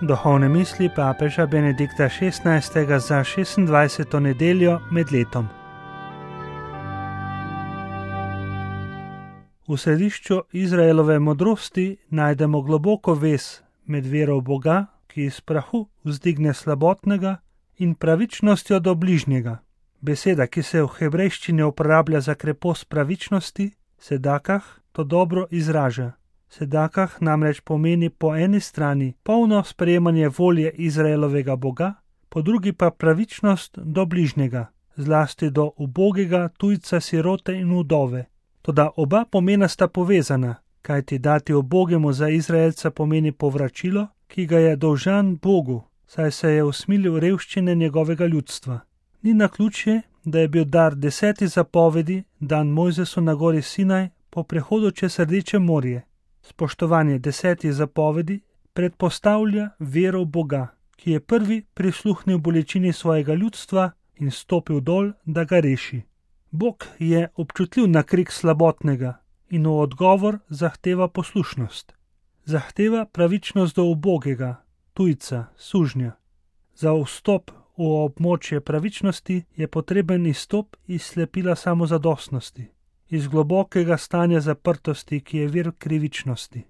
Duhovne misli papeža Benedikta XVI. Za 26. nedeljo med letom. V središču Izraelove modrosti najdemo globoko vez med vero v Boga, ki iz prahu vzdigne slabotnega, in pravičnostjo do bližnjega. Beseda, ki se v hebrejščini uporablja za krepost pravičnosti, sedakah, to dobro izraža. Sedakah namreč pomeni po eni strani polno sprejemanje volje Izraelovega Boga, po drugi pa pravičnost do bližnjega, zlasti do ubogega, tujca, sirote in vdove. Toda oba pomena sta povezana, kajti dati ubogemu za Izraelca pomeni povračilo, ki ga je dolžan Bogu, saj se je usmilil revščine njegovega ljudstva. Ni naključje, da je bil dar 10 zapovedi dan Mojzesu na gori Sinaj po prehodu čez Rdeče morje. Spoštovanje 10 zapovedi predpostavlja vero v Boga, ki je prvi prisluhnil bolečini svojega ljudstva in stopil dol, da ga reši. Bog je občutljiv na krik slabotnega in v odgovor zahteva poslušnost. Zahteva pravičnost do ubogega, tujca, sužnja. Za vstop v območje pravičnosti je potreben izstop iz slepila samozadostnosti, iz globokega stanja zaprtosti, ki je vir krivičnosti.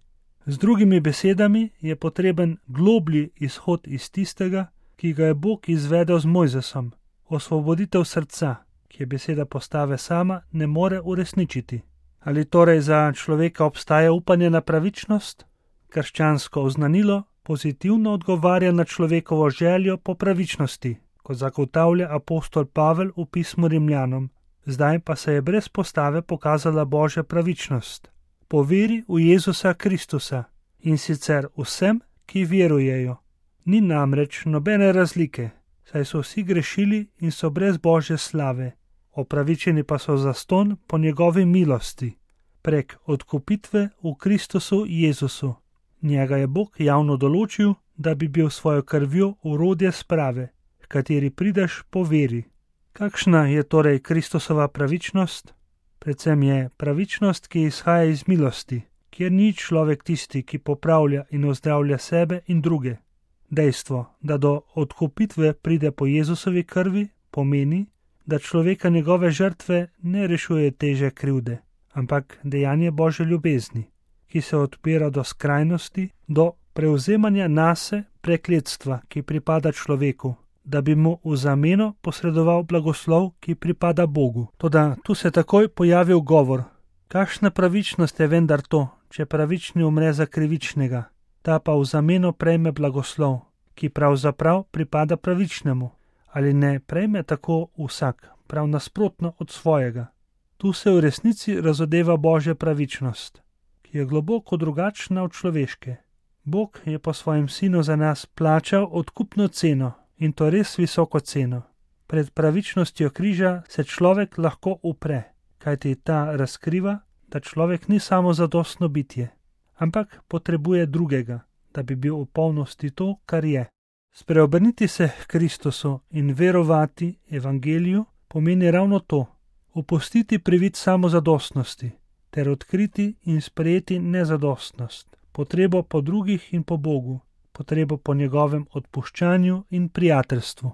Z drugimi besedami je potreben globlji izhod iz tistega, ki ga je Bog izvedel z Mojzesom, osvoboditev srca, ki je beseda postave sama ne more uresničiti. Ali torej za človeka obstaja upanje na pravičnost? Krščansko oznanilo pozitivno odgovarja na človekovo željo po pravičnosti, kot zagotavlja apostol Pavel v pismu Rimljanom. Zdaj pa se je brez postave pokazala Božja pravičnost, po veri v Jezusa Kristusa, in sicer vsem, ki verujejo. Ni namreč nobene razlike, saj so vsi grešili in so brez Božje slave, opravičeni pa so zastonj po njegovi milosti, prek odkupitve v Kristusu Jezusu. Njega je Bog javno določil, da bi bil svojo krvjo orodje sprave, v kateri prideš po veri. Kakšna je torej Kristusova pravičnost? Predvsem je pravičnost, ki izhaja iz milosti, kjer ni človek tisti, ki popravlja in ozdravlja sebe in druge. Dejstvo, da do odkupitve pride po Jezusovi krvi, pomeni, da človeka njegove žrtve ne rešuje teže krivde, ampak dejanje Božje ljubezni, ki se odpira do skrajnosti, do prevzemanja nase prekletstva, ki pripada človeku, da bi mu v zameno posredoval blagoslov, ki pripada Bogu. Toda tu se takoj pojavi ugovor. Kakšna pravičnost je vendar to, če pravični umre za krivičnega, ta pa v zameno prejme blagoslov, ki pravzaprav pripada pravičnemu? Ali ne prejme tako vsak, prav nasprotno od svojega? Tu se v resnici razodeva Božja pravičnost, ki je globoko drugačna od človeške. Bog je po svojem sinu za nas plačal odkupno ceno, in to res visoko ceno. Pred pravičnostjo križa se človek lahko upre, kajti ta razkriva, da človek ni samo zadostno bitje, ampak potrebuje drugega, da bi bil v polnosti to, kar je. Spreobrniti se k Kristusu in verovati evangeliju pomeni ravno to, opustiti privid samozadostnosti ter odkriti in sprejeti nezadostnost, potrebo po drugih in po Bogu, potrebo po njegovem odpuščanju in prijateljstvu.